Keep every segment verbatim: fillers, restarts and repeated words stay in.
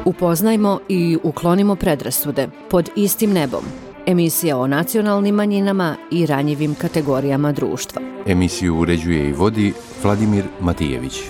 Upoznajmo i uklonimo predrasude pod istim nebom. Emisija o nacionalnim manjinama i ranjivim kategorijama društva. Emisiju uređuje i vodi Vladimir Matijević.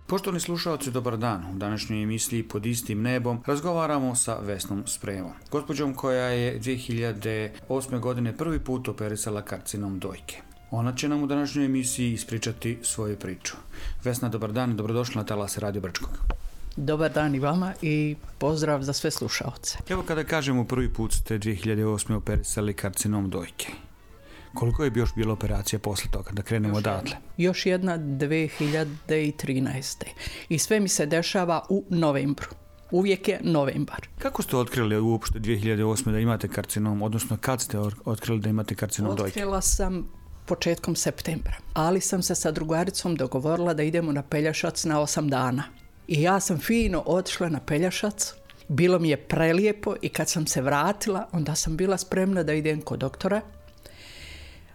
Poštovani slušalci, dobar dan. U današnjoj emisiji Pod istim nebom razgovaramo sa Vesnom Spremom, gospođom koja je dvije hiljade osme. godine prvi put operisala karcinom dojke. Ona će nam u današnjoj emisiji ispričati svoju priču. Vesna, dobar dan i dobrodošla na talase Radio Brčkog. Dobar dan i vama i pozdrav za sve slušaoce. Evo, kada kažemo prvi put ste dvije hiljade osme. operisali karcinom dojke. Koliko je bi još bila operacija posle toga, da krenemo odatle? Još jedna dvije hiljade trinaeste. I sve mi se dešava u novembru. Uvijek je novembar. Kako ste otkrili uopšte dvije hiljade osme. da imate karcinom, odnosno kad ste otkrili da imate karcinom dojke? Otkrila sam početkom septembra, ali sam se sa drugaricom dogovorila da idemo na Pelješac na osam dana. I ja sam fino otišla na Pelješac, bilo mi je prelijepo i kad sam se vratila, onda sam bila spremna da idem kod doktora,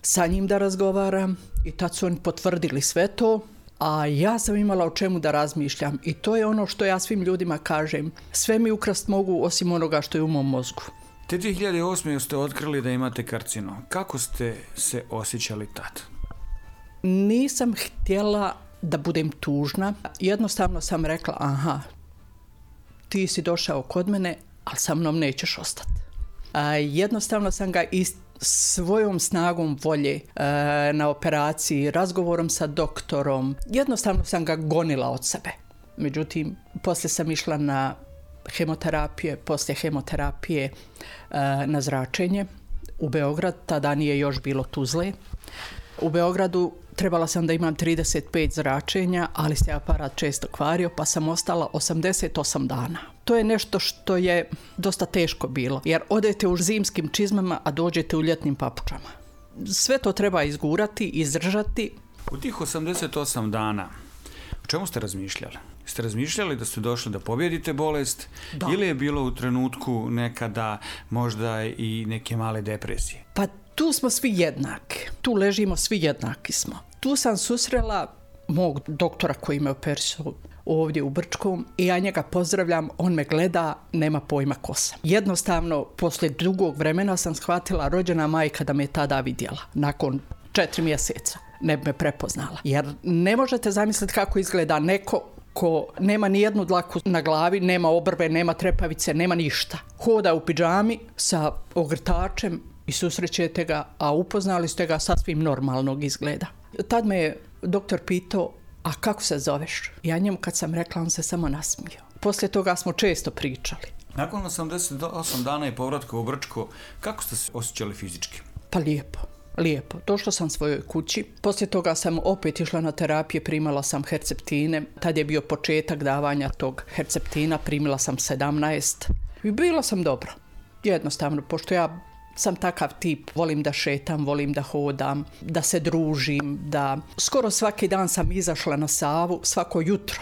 sa njim da razgovaram i tad su oni potvrdili sve to, a ja sam imala o čemu da razmišljam i to je ono što ja svim ljudima kažem, sve mi ukrast mogu osim onoga što je u mom mozgu. Te dvije hiljade osme. ste otkrili da imate karcinom. Kako ste se osjećali tad? Nisam htjela da budem tužna, jednostavno sam rekla, aha, ti si došao kod mene, ali sa mnom nećeš ostati. A, jednostavno sam ga ist svojom snagom volje e, na operaciji, razgovorom sa doktorom, jednostavno sam ga gonila od sebe. Međutim, poslije sam išla na hemoterapije, poslije hemoterapije e, na zračenje u Beograd, tada nije još bilo Tuzle. U Beogradu trebala sam da imam trideset pet zračenja, ali se aparat često kvario, pa sam ostala osamdeset osam dana. To je nešto što je dosta teško bilo, jer odete u zimskim čizmama, a dođete u ljetnim papučama. Sve to treba izgurati, izdržati. U tih osamdeset osam dana, o čemu ste razmišljali? Ste razmišljali da ste došli da pobjedite bolest, da, ili je bilo u trenutku nekada možda i neke male depresije? Pa tu smo svi jednaki, tu ležimo svi jednaki smo. Tu sam susrela mog doktora koji me operisao ovdje u Brčkom i ja njega pozdravljam, on me gleda, nema pojma ko sam. Jednostavno, poslije dugog vremena sam shvatila rođena majka da me tada vidjela, nakon četiri mjeseca ne bi me prepoznala. Jer ne možete zamisliti kako izgleda neko ko nema ni jednu dlaku na glavi, nema obrve, nema trepavice, nema ništa. Hoda u pidžami sa ogrtačem i susrećete ga, a upoznali ste ga sasvim normalnog izgleda. Tad me je doktor pitao, a kako se zoveš? Ja njemu kad sam rekla, on se samo nasmijao. Poslije toga smo često pričali. Nakon osamdeset osam dana i povratka u Brčko, kako ste se osjećali fizički? Pa lijepo. Lijepo. Došla sam svojoj kući. Poslije toga sam opet išla na terapije, primala sam herceptine. Tad je bio početak davanja tog herceptina, primila sam sedamnaest. I bila sam dobro. Jednostavno, pošto ja sam takav tip, volim da šetam, volim da hodam, da se družim, da skoro svaki dan sam izašla na Savu, svako jutro.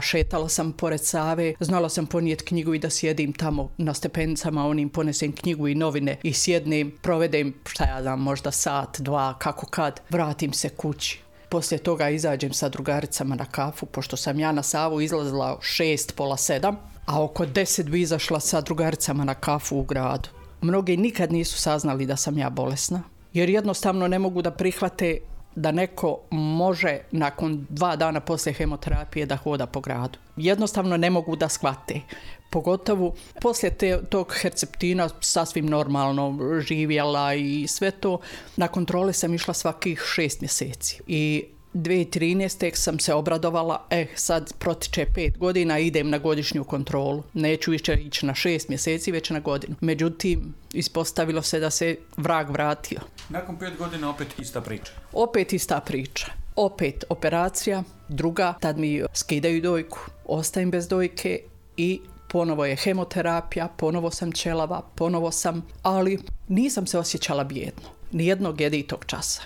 Šetala sam pored Save, znala sam ponijeti knjigu i da sjedim tamo na stepenicama, onim ponesem knjigu i novine i sjednem, provedem, šta ja znam, možda sat, dva, kako kad, vratim se kući. Poslije toga izađem sa drugaricama na kafu, pošto sam ja na Savu izlazila šest, pola sedam, a oko deset bi izašla sa drugaricama na kafu u gradu. Mnogi nikad nisu saznali da sam ja bolesna, jer jednostavno ne mogu da prihvate da neko može nakon dva dana poslije hemoterapije da hoda po gradu. Jednostavno ne mogu da shvate. Pogotovo poslije te, tog herceptina sasvim normalno živjela i sve to. Na kontrole sam išla svakih šest mjeseci. I dvije hiljade trinaeste. sam se obradovala, e, sad protiče pet godina, idem na godišnju kontrolu. Neću više ići na šest mjeseci, već na godinu. Međutim, ispostavilo se da se vrag vratio. Nakon pet godina opet ista priča? Opet ista priča. Opet operacija, druga, tad mi skidaju dojku, ostajem bez dojke i ponovo je hemoterapija, ponovo sam ćelava, ponovo sam, ali nisam se osjećala bijedno. Nijednog jeditog časa.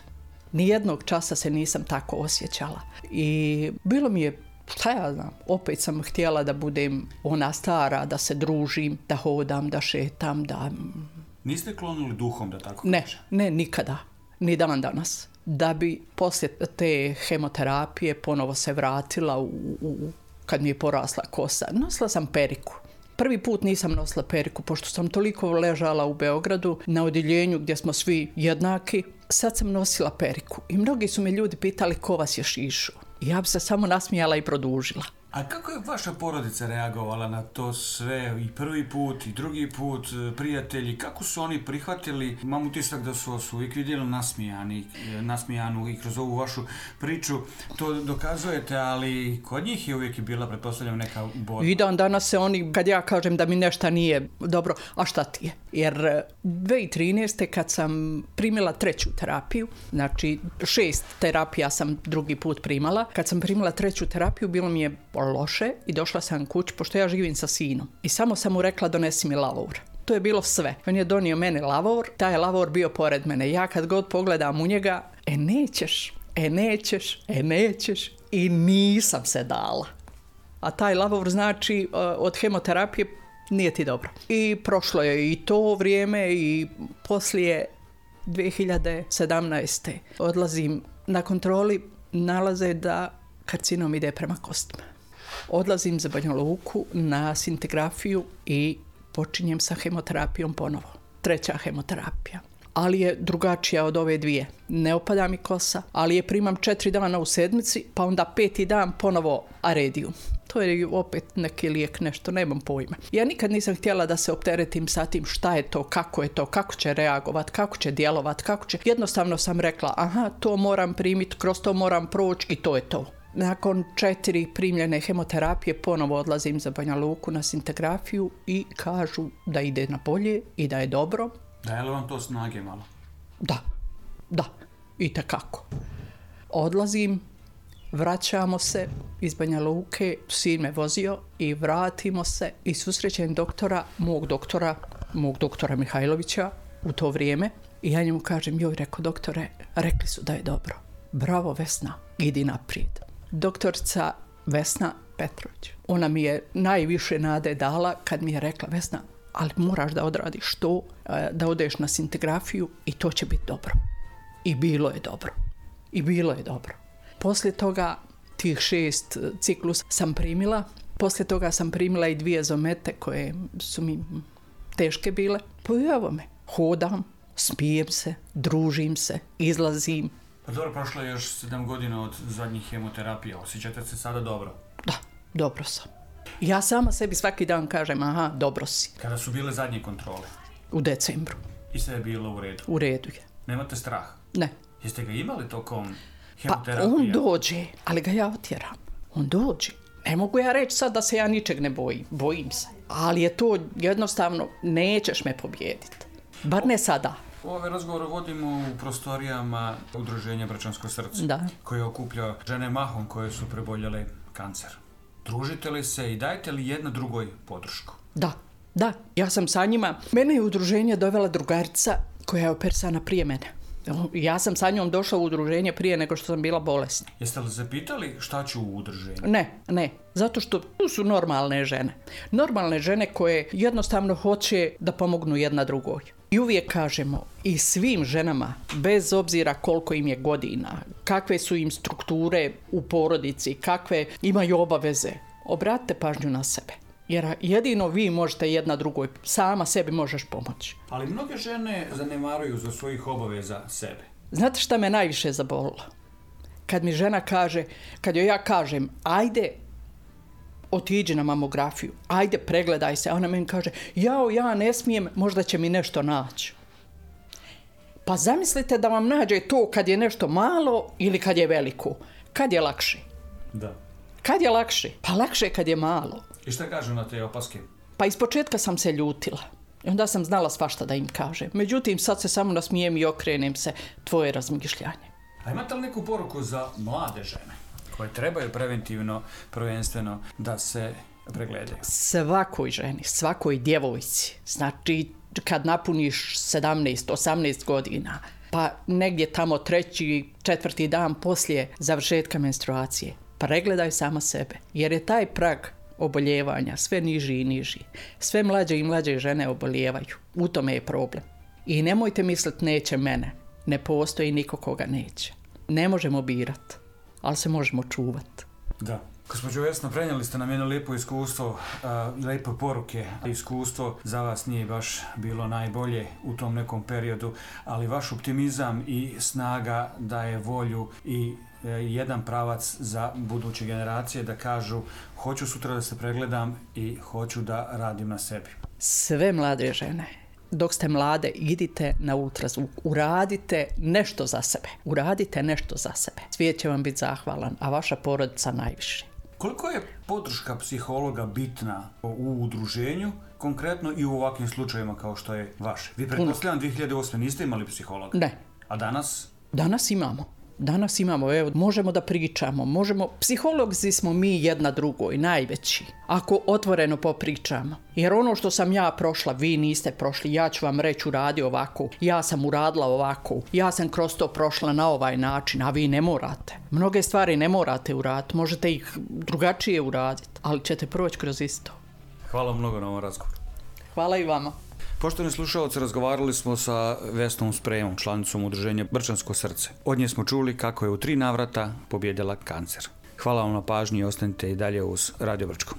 Nijednog časa se nisam tako osjećala. I bilo mi je, šta ja znam, opet sam htjela da budem ona stara, da se družim, da hodam, da šetam, da... Niste klonuli duhom, da tako Ne, kaže? ne, nikada. ni dan danas. Da bi poslije te hemoterapije ponovo se vratila u, u, kad mi je porasla kosa. Nosila sam periku. Prvi put nisam nosila periku, pošto sam toliko ležala u Beogradu na odjeljenju gdje smo svi jednaki. Sad sam nosila periku i mnogi su me ljudi pitali ko vas je šišao. Ja bi se samo nasmijala i produžila. A kako je vaša porodica reagovala na to sve, i prvi put i drugi put, prijatelji, kako su oni prihvatili? Imam utisak da su vas uvijek vidjeli nasmijani, nasmijanu i kroz ovu vašu priču to dokazujete, ali kod njih je uvijek bila, pretpostavljam, neka borba. I dan danas se oni, kad ja kažem da mi nešto nije dobro, a šta ti je? Jer dvije tisuće trinaeste. kad sam primila treću terapiju, znači šest terapija sam drugi put primala, kad sam primila treću terapiju bilo mi je loše i došla sam kući, pošto ja živim sa sinom. I samo sam mu rekla donesi mi lavor. To je bilo sve. On je donio mene lavor, taj je lavor bio pored mene. Ja kad god pogledam u njega, e nećeš, e nećeš, e nećeš. I nisam se dala. A taj lavor znači od hemoterapije nije ti dobro. I prošlo je i to vrijeme i poslije dvije hiljade sedamnaeste. odlazim na kontroli, nalaze da karcinom ide prema kostima. Odlazim za Banja Luku na scintigrafiju i počinjem sa hemoterapijom ponovo. Treća hemoterapija. Ali je drugačija od ove dvije. Ne opada mi kosa, ali je primam četiri dana u sedmici, pa onda peti dan ponovo arediju. To je opet neki lijek, nešto, nemam pojma. Ja nikad nisam htjela da se opteretim sa tim šta je to, kako je to, kako će reagovat, kako će djelovat, kako će... Jednostavno sam rekla, aha, to moram primiti, kroz to moram proći i to je to. Nakon četiri primljene hemoterapije ponovo odlazim za Banja Luku na scintigrafiju i kažu da ide na bolje i da je dobro. Daje li vam to snage malo? Da, da, itekako. Odlazim, vraćamo se iz Banja Luke, sin me vozio i vratimo se i susrećem doktora, mog doktora, mog doktora Mihajlovića u to vrijeme. I ja njemu kažem, joj, rekao doktore, rekli su da je dobro. Bravo Vesna, idi naprijed. Doktorica Vesna Petrović. Ona mi je najviše nade dala kad mi je rekla, Vesna, ali moraš da odradiš to, da odeš na scintigrafiju i to će biti dobro. I bilo je dobro. I bilo je dobro. Poslije toga tih šest ciklus sam primila. Poslije toga sam primila i dvije zomete koje su mi teške bile. Pa evo me, hodam, smijem se, družim se, izlazim. Pa dobro, prošlo je još sedam godina od zadnjih hemoterapija. Osjećate se sada dobro? Da, dobro sam. Ja sama sebi svaki dan kažem, aha, dobro si. Kada su bile zadnje kontrole? U decembru. I sve je bilo u redu? U redu je. Nemate strah? Ne. Jeste ga imali tokom hemoterapije? Pa on dođe, ali ga ja otjeram. On dođe. Ne mogu ja reći sad da se ja ničeg ne bojim. Bojim se. Ali je to jednostavno, nećeš me pobijediti. Bar ne sada. Ove razgovore vodimo u prostorijama Udruženja Bračansko srce, da, koje okuplja žene mahom koje su preboljele kancer. Družite li se i dajete li jedna drugoj podršku? Da, da. Ja sam sa njima. Mene je udruženje dovela drugarica koja je operisana prije mene. Ja sam sa njom došla u udruženje prije nego što sam bila bolesna. Jeste li se pitali šta ću u udruženju? Ne, ne. Zato što tu su normalne žene. Normalne žene koje jednostavno hoće da pomognu jedna drugoj. I uvijek kažemo i svim ženama, bez obzira koliko im je godina, kakve su im strukture u porodici, kakve imaju obaveze, obratite pažnju na sebe. Jer jedino vi možete jedna drugoj, sama sebi možeš pomoći. Ali mnoge žene zanemaruju za svojih obaveza sebe. Znate šta me najviše zabolilo? Kad mi žena kaže, kad joj ja kažem, ajde, otiđi na mamografiju, ajde, pregledaj se. A ona meni kaže, jao, ja ne smijem, možda će mi nešto naći. Pa zamislite da vam nađe to kad je nešto malo ili kad je veliko. Kad je lakše? Da. Kad je lakše? Pa lakše kad je malo. I šta kažu na te opaske? Pa ispočetka sam se ljutila. I onda sam znala svašta da im kažem. Međutim, sad se samo nasmijem i okrenem se tvoje razmišljanje. A imate li neku poruku za mlade žene koje trebaju preventivno, prvenstveno da se pregledaju? Svakoj ženi, svakoj djevojci. Znači, kad napuniš sedamnaest osamnaest godina, pa negdje tamo treći, četvrti dan poslije završetka menstruacije, pregledaj sama sebe. Jer je taj prag oboljevanja sve niži i niži. Sve mlađe i mlađe žene obolijevaju. U tome je problem. I nemojte misliti neće mene. Ne postoji niko koga neće. Ne možemo birati, ali se možemo čuvati. Da. Gospođo Vesna, prenijeli ste nam jedno lijepo iskustvo, uh, lijepe poruke. Iskustvo za vas nije baš bilo najbolje u tom nekom periodu, ali vaš optimizam i snaga daje volju i uh, jedan pravac za buduće generacije da kažu hoću sutra da se pregledam i hoću da radim na sebi. Sve mlade žene, dok ste mlade, idite na ultrazvuk, uradite nešto za sebe, uradite nešto za sebe. Svijet će vam biti zahvalan, a vaša porodica najviše. Koliko je podrška psihologa bitna u udruženju, konkretno i u ovakvim slučajevima kao što je vaš? Vi pretpostavljam dvije hiljade osme niste imali psihologa? Ne. A danas? Danas imamo. Danas imamo, evo, možemo da pričamo, možemo, psiholozi smo mi jedna drugoj, najveći, ako otvoreno popričamo. Jer ono što sam ja prošla, vi niste prošli, ja ću vam reći uradi ovako, ja sam uradila ovako, ja sam kroz to prošla na ovaj način, a vi ne morate. Mnoge stvari ne morate uraditi, možete ih drugačije uraditi, ali ćete proći kroz isto. Hvala mnogo na ovom razgovoru. Hvala i vama. Poštovani slušalci, razgovarali smo sa Vesnom Sprejmom, članicom udruženja Brčansko srce. Od nje smo čuli kako je u tri navrata pobjedila kancer. Hvala vam na pažnji i ostanite i dalje uz Radio Brčko.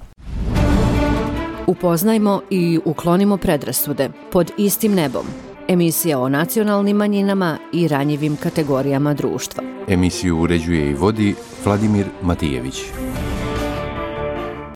Upoznajmo i uklonimo predrasude pod istim nebom. Emisija o nacionalnim manjinama i ranjivim kategorijama društva. Emisiju uređuje i vodi Vladimir Matijević.